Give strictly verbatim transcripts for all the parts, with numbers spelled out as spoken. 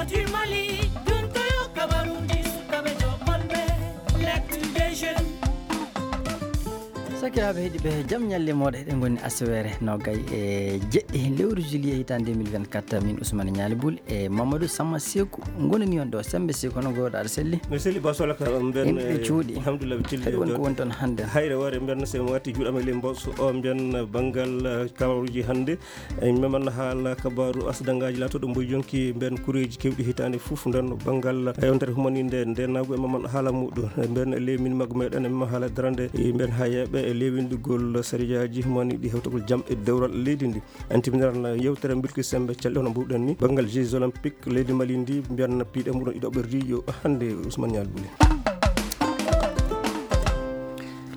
Du Mali, ɗum ko yo kabaruuji sukaaɓe jokolɓe, l'actu des jeunes. Sakiraaɓe heɗiiɓe, jam ñalle mooɗon. Eɗen ngoni aseweere noogay e jeɗɗi lewru juillet hitaande deux mille vingt-quatre. Min Ousmane Ñaali Bul e Mamadou Samma Seeku ngonani on ɗo. Sembe Seeku, hono ngoɗa aɗa selli? Mi selli ba solaka, on mben, en ɓe eh, cuuɗi. Alhamdulillah, ɓe tilli. Kadi woni ko jooɗi. Woni toon hannde? Hayre wore mben, so mi watti juuɗe am e ley mboso, o mben, eh, banngal, eh, kabaruuji hannde. Eyi, mi memana haala kabaaru asidangaaji laatooɗo mboy yonki mben kureeji keewɗi hitaande fof nden banngal yontere humaninde nde naagu e memana haala muɗum. Mben e lewin maggu meɗen e memana haala darande e mben hayeeɓe e lewinɗigol sariyaaji humaniɗi hewtagol jam e dewral leydi ndi. En timminan yewtere mbilki sembe calɗi hono mbuɗen ni. Banngal Jeux Olympiques leydi Mali ndi mbiyan piiɗe muɗum iɗo ɓerdi yo hannde Ousmane Ñaali Buli.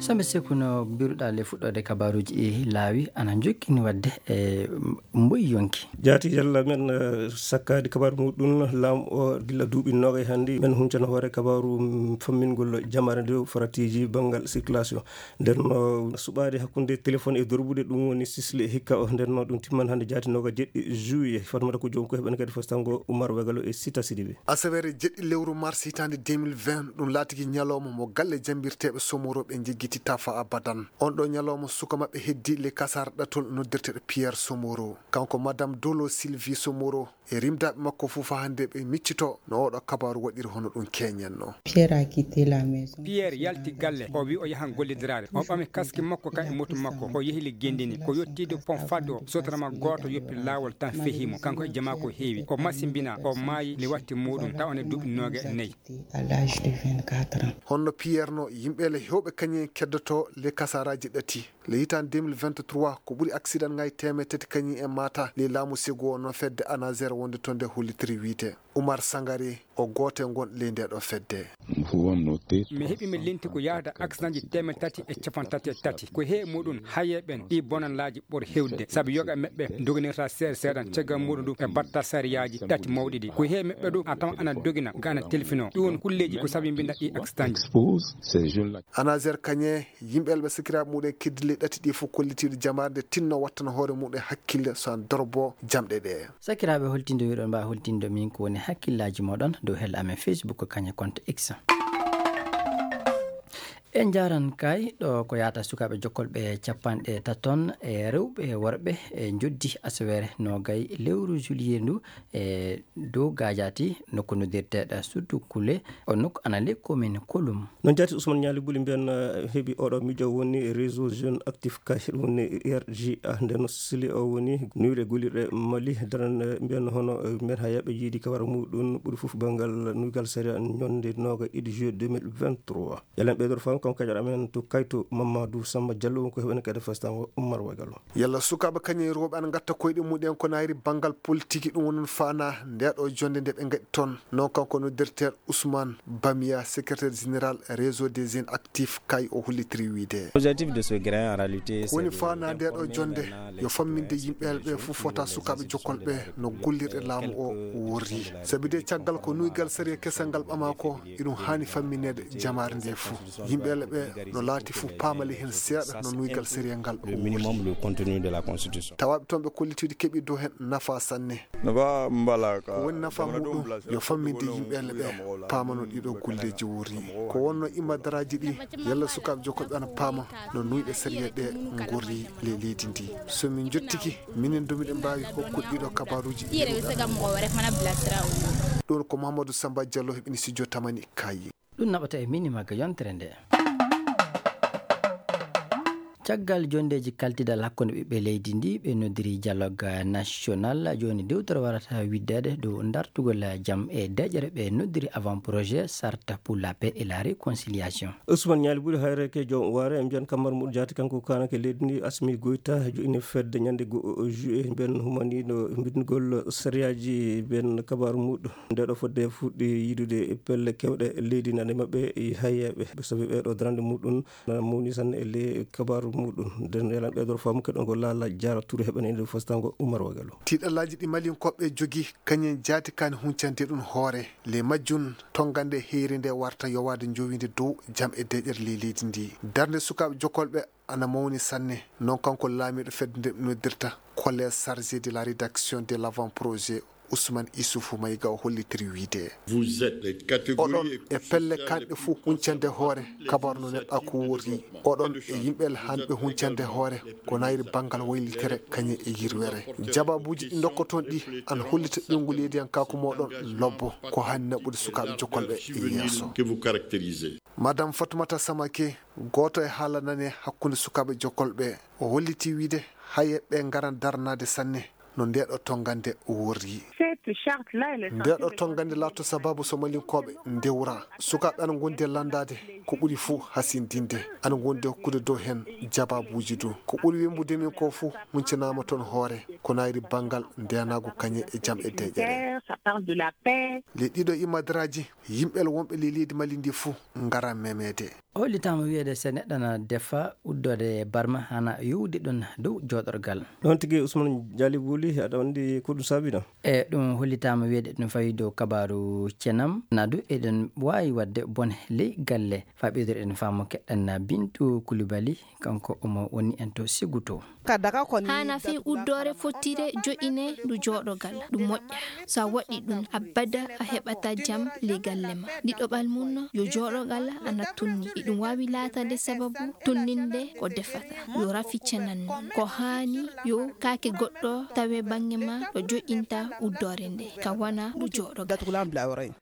Sembe Seeku, no mbiruɗaa le fuɗɗoode kabaruuji e laawi ana jokkini waɗde e mboy yonki. Jaati yalla men, eh, sakkaade kabaaru muɗum, laamu o gilla duuɓi noogay hannde, men huncana hoore kabaaru, mm, fammingol jamaare nde faratiiji banngal circulation. Nden no suɓaade hakkunde téléphone e dorbude, ɗum woni sisle hikka o. Nden no ɗum timman hannde jaati noogay jeɗɗi juillet. Fatmata ko joom ko heɓen kadi fostango Oumar Wegalo e Sita Sidibé. Asaweere jeɗɗi lewru mars hitaande deux mille vingt, ɗum laatiki ñalawma mo galle jambirteeɓe Somoro ɓe njeggiti tafa abadan. On ɗo ñalawma suka maɓɓe heddi le kasar ɗatol noddirteeɗo Pierre Somoro. Kanko Madame Dolo Sylvie Somoro e rimdaaɓe makko fof faa hannde ɓe miccito no oɗo kabaaru waɗiri hono ɗum keñenno. Pierre a quitté la maison. Pierre yalti galle, o wi o yahan gollidiraade. O ɓami kaski makko kan e moto makko. O yehi le Gendini. Ko yottiido pont Fado, sotrama gooto yoppi laawol tan fehi mo. Kanko e jamaa ko heewi. O masimbina, o maayi le watti muɗum, tawa ne duuɓi nooga e nayi. À l'âge de vingt-quatre ans. Honno Pierre no yimɓe le hewɓe kañum en keddoto le kasaraaji ɗati. Le hitaande deux mille vingt-trois, ko ɓuri accident ngaji teemeɗɗe tati kañum en maata. Le laamu segu o no fedde ANASER wonde toon nde hollitiri wiide. Oumar Sangare, o gooto e ngon ley nde ɗo fedde. Vous pouvez noter. Mi heɓi mi linti ko yahata accident ji teemeɗɗe tati e capanɗe tati e tati. Ko he muɗum haye ɓen ɗi bonanlaaji ɓuri hewde. Sabu yoga maɓɓe doginirta seeɗa seeɗa caggal muɗum ɗum e batta sariyaaji tati mawɗi ɗi. Ko he maɓɓe ɗum a tawan ana dogina ga ana telfino. Ɗum woni kulleeji ko sabi mbinda ɗi accident ji. Expose ces jeunes-là. ANASER kañe yimɓe elɓe sakiraaɓe muɗum e keddile ɗati ɗi fof kollitiiɗo jamaare nde tinno wattana hoore muɗum e hakkille so an dorbo jamɗe ɗe. Sakiraaɓe holtindo wiɗon mba holtindo min ko woni hakkillaaji moɗon dow hel amen Facebook kañe compte X. En njaaran kay ɗo ko yahata sukaaɓe jokkolɓe capanɗe taton e rewɓe e worɓe e njoddi asaweere noogay lewru juillet ndu e dow Gajati nokku noddirteeɗo Suddu Kule, o nokku ana ley commune Kolum. Noon jaati Ousmane Ñaali Buli mbiyan, eh, heɓi oɗo miijo woni réseau jeune actif kay ɗum woni R J A nden sili o woni nuyre gullirɗe Mali daran, eh, mbiyan hono, eh, mbiyan hayaɓe yiidi kawara muɗum ɓuri fof banngal nuygal sariya ñonde noogay ɗiɗi juillet deux mille vingt-trois. Yalla en ɓeydor fam, kanko kadi amen to Kayto Mamadou Samba Diallo, won ko heɓen kadi fastango Oumar Wagalo. Yalla sukaaɓe kañum e rewɓe ana ngatta koyɗe mumen ko nayri banngal politique, ɗum woni faana nde ɗo jonde nde ɓe ngaɗi toon. Non kanko noddirteeɗo Ousmane Bamiya, secrétaire général réseau des jeunes actifs kay o hollitiri wiide. L'objectif de ce grain en réalité, ko woni faana nde ɗo jonde yo famminde yimɓe ɓe fof fota sukaaɓe jokkolɓe no gollirɗe laamu o worri. Sabi de caggal ko nuygal sariya kesal ngal ɓama ko, iɗum haani fammineede jamaare nde fof. Yimɓe ɓe no laati fof paamali heen seeɗa no nuygal sariya ngal o worri. Le minimum, le contenu de la constitution. Tawaaɓe toon ɓe kollitiiɗo keɓi dow heen nafa sanne. Nafa mbala ka. Ko woni nafa muɗum yo famminde yimɓe ɓe paamano ɗiɗo golleeji worri. Ko wonno immadaraaji ɗi, yalla sukaaɓe jokkolɓe ana paama no nuyɗe sariya ɗe ngorri le leydi ndi. So min njottiki, minen du miɗen mbaawi hokkude ɗiɗo kabaaruuji ɗi. Ɗum ko Mahamadou Samba Diallo heɓini studio Tamani Kayi. Ɗum naɓata e mini magga yontere nde. Caggal jonndeeji kaltidal hakkunde ɓiɓɓe leydi ndi, ɓe noddiri dialogue national. Jooni dewtere warata widdeede dow dartugol jam e deƴƴere ɓe noddiri avant projet Charte pour la paix et la réconciliation. Ousmane Ñaali Buri Hayreke joom waare, en mbiyan kammar muɗum jaati kanko kaanake leydi ndi Asmi Goyta, joini fedde ñande go juillet, mben humaniino mbindugol sariyaaji ben kabaaru muɗum. Nde ɗo fodde fuɗɗi yiidude pelle kewɗe leydi nane maɓɓe e hayyeeɓe. Sabi ɓeeɗo darande muɗum na mawni sanne e ley kabaaru muɗum. Nden yalan ɓeeɗo faamu keɗon ko Laala Jaara Ture heɓen e nder fostango Umar Wagalo. Tiiɗallaaji ɗi Malinkooɓe jogii, kañum jaati kaani huncande ɗum hoore. Ley majjum, tonngande heyre nde warta yowaade njowiinde dow jam e deƴƴere ley leydi ndi. Darnde sukaaɓe jokkolɓe ana mawni sanne. Non kanko laamiiɗo fedde nde noddirta Collège chargé de la rédaction de l'avant-projet Ousmane Issoufou Maïga o hollitiri wiyde. Vous êtes les catégories oɗon e pelle kanɗe fof huncande hoore kabaru no neɗɗa ko worri. Oɗon e yimɓe hanɓe huncande hoore ko nayri banngal waylitere kañe e yirwere. Jababuuji ɗi ndokkoton ɗi an hollita ɓeyngu leydiyankaaku moɗon lobbo ko hani naɓude sukaaɓe jokkolɓe e yeeso. Madame Fatoumata Samake, gooto e haala nane hakkunde sukaaɓe jokkolɓe, o holliti wiyde haye ɓe ngaran daranaade sanne no ndeeɗo tonngande worri. Ndeeɗo tonngande laatoto sababu so malinkooɓe ndewra. Sukaaɓe ana ngondi e lanndaade ko ɓuri fuu hasindinde. Ana ngondi e hokkude dow heen jababuuji du. Ko ɓuri wembude min ko fuu huncinaama toon hoore ko nayri banngal ndeenaagu kañe e jam e deeƴere. Les ɗiɗo imadraaji, yimɓe wonɓe ley leydi Mali ndi fuu ngara memeede. Hollitaama wiyeede so neɗɗo na defa uddoode barma hana yowdi ɗum dow jooɗorgal. Ɗoon tigi Ousmane Dialibuli, aɗa anndi ko ɗum saabina? E ɗum hollitaama wiyeede ɗum fawi dow kabaaru cenam. Na du eɗen waawi waɗde bone ley galle. Faɓidoreɗen faamu keɗɗan na Bintu Kulibali, kanko omo woni en to Sigu to. Haana fii uddoore fottire joƴine ndu jooɗogal, ɗum moƴƴa. So a waɗi ɗum, abada a heɓata jam ley galle ma. Ɗiɗoɓal mum no, yo jooɗogal ana tunni. Iɗum waawi laatade sababu tunninde ko defata. Yo rafi cenan noon. Ko haani yo kaake goɗɗo tawe baŋŋe ma ɗo joƴinta uddoore nde, ka wana ndu jooɗogal.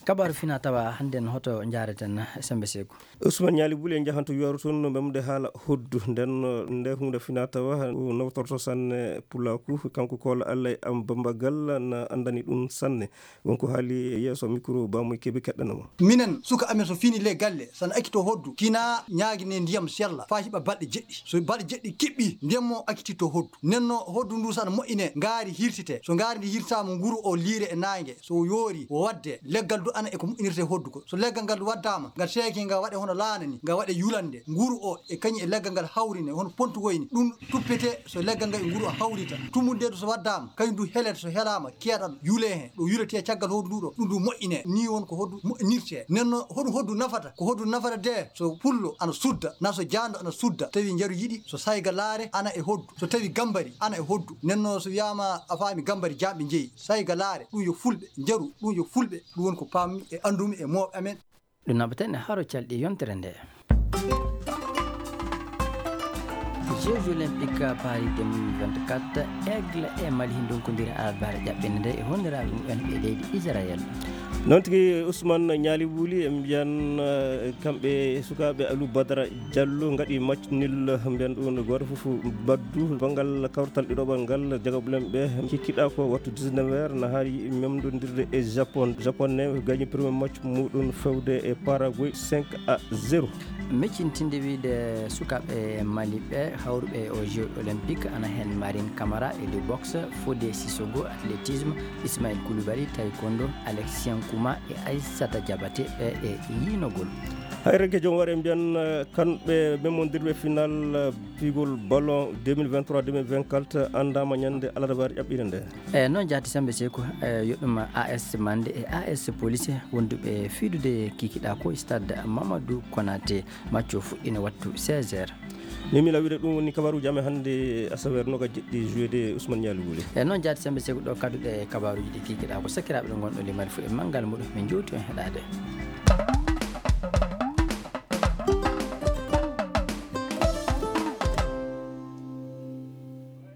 Kabaaru fina tawa hannden hoto njaareten Sembe Seeku. Ousmane Ñaali Buli en njahan to Yuwaru toon no mbemde haala hoddu. Nden, nde huunde fina tawa nawtorto sanne pulaaku, kanko Koola Allah e am Bamba Galla na anndani ɗum sanne. Wonko haali yeeso mikro Bamoy Kebe keɗɗanamo. Minen, suka amen so fini le galle, sana akito hoddu, kina ñaagine ndiyam sella, faa hiɓa balɗe jeɗɗi. So balɗe jeɗɗi kiɓɓi, ndiyam mo akitito hoddu. Nden no hoddu ndu sana moƴƴine, ngaari hirtite. So ngaari ndi hirtaama, nguru o liire e naange. So yoori, o wadde. Leggal du ana e ko moƴƴinirte hoddu ko. So leggal ngal du waddaama, ngal seeke, ngal waɗe hono laana ni, ngal waɗe yulande. Nguru o e kañum e leggal ngal hawrine, hono pontugoy ni. Ɗum tuppete so leggal ngal e nguru o hawrita. Tummunde du so waddaama, kañum du helete so helaama, keeɗal yule heen. Ɗo yuletee caggal hoddu ndu ɗo, ɗum du moƴƴine. Ni won ko hoddu moƴƴinirte. Nden no hoɗum hoddu nafata? Ko hoddu nafata de, so pullo ana sudda, na so jaando ana sudda. Tawi njaru yiɗi, so sayga laare ana e hoddu. So tawi gambari ana e hoddu. Nden no so wiyaama a faami gambari jaamɓe njeyi. Sayga laare, ɗum yo fulɓe njaru, ɗum yo fulɓe. Ɗum woni ko paammi e anndumi e mooɓe amen. Ɗum naɓaten e haro calɗi yontere nde. Jeux Olympiques Paris deux mille vingt-quatre, Aigle e Mali ndonkodiri alarbaare ƴaɓɓinde nde e honniraaɓe mumen ɓe leydi Israël. Noon tigi, Ousmane Ñaali Wuli, en mbiyan, eh, kamɓe sukaaɓe Aliou Badara Diallo ngaɗi match nul, mbiyan ɗum gooto fof baddu. Banngal kawtal ɗiɗoɓal ngal, jagaɓulen ɓe kikkiɗa ko wattu dix-neuf heures, na haari memdondirde e Japon. Japon ne gagni premier match muɗum fewde e Paraguay cinq à zéro. Meccintinde wiyde sukaaɓe Mali ɓe hawruɓe e o Jeux Olympiques ana heen Marine Camara e lutte boxe, Fodé Sissoko athlétisme, Ismaël Koulibaly taekwondo, Alexis Nkouma e Aissata Diabaté ɓe e yiinogol. Hayre ke joom ware mbiyan, eh, kamɓe memmondirɓe final, eh, pigol ballon deux mille vingt-trois deux mille vingt-quatre anndama ñande alarbaare ƴaɓɓiinde nde. E noon jaati Sembe Seeku, e yo ɗum A S Mande e A S Police wonduɓe fiidude kikiɗa ko stade Mamadou Konaté, match o fuɗɗino wattu seize heures. Mimi Lawire, ɗum woni kabaruuji amen hannde asaweere noga jeɗɗi juillet Ousmane Ñaali Wuli. E noon jaati Sembe Seeku ɗo kadduɗe kabaruuji ɗi kikiɗa ko sakiraaɓe ɗo ngonɗo limani fof e manngal muɗum min jowti on heɗaade.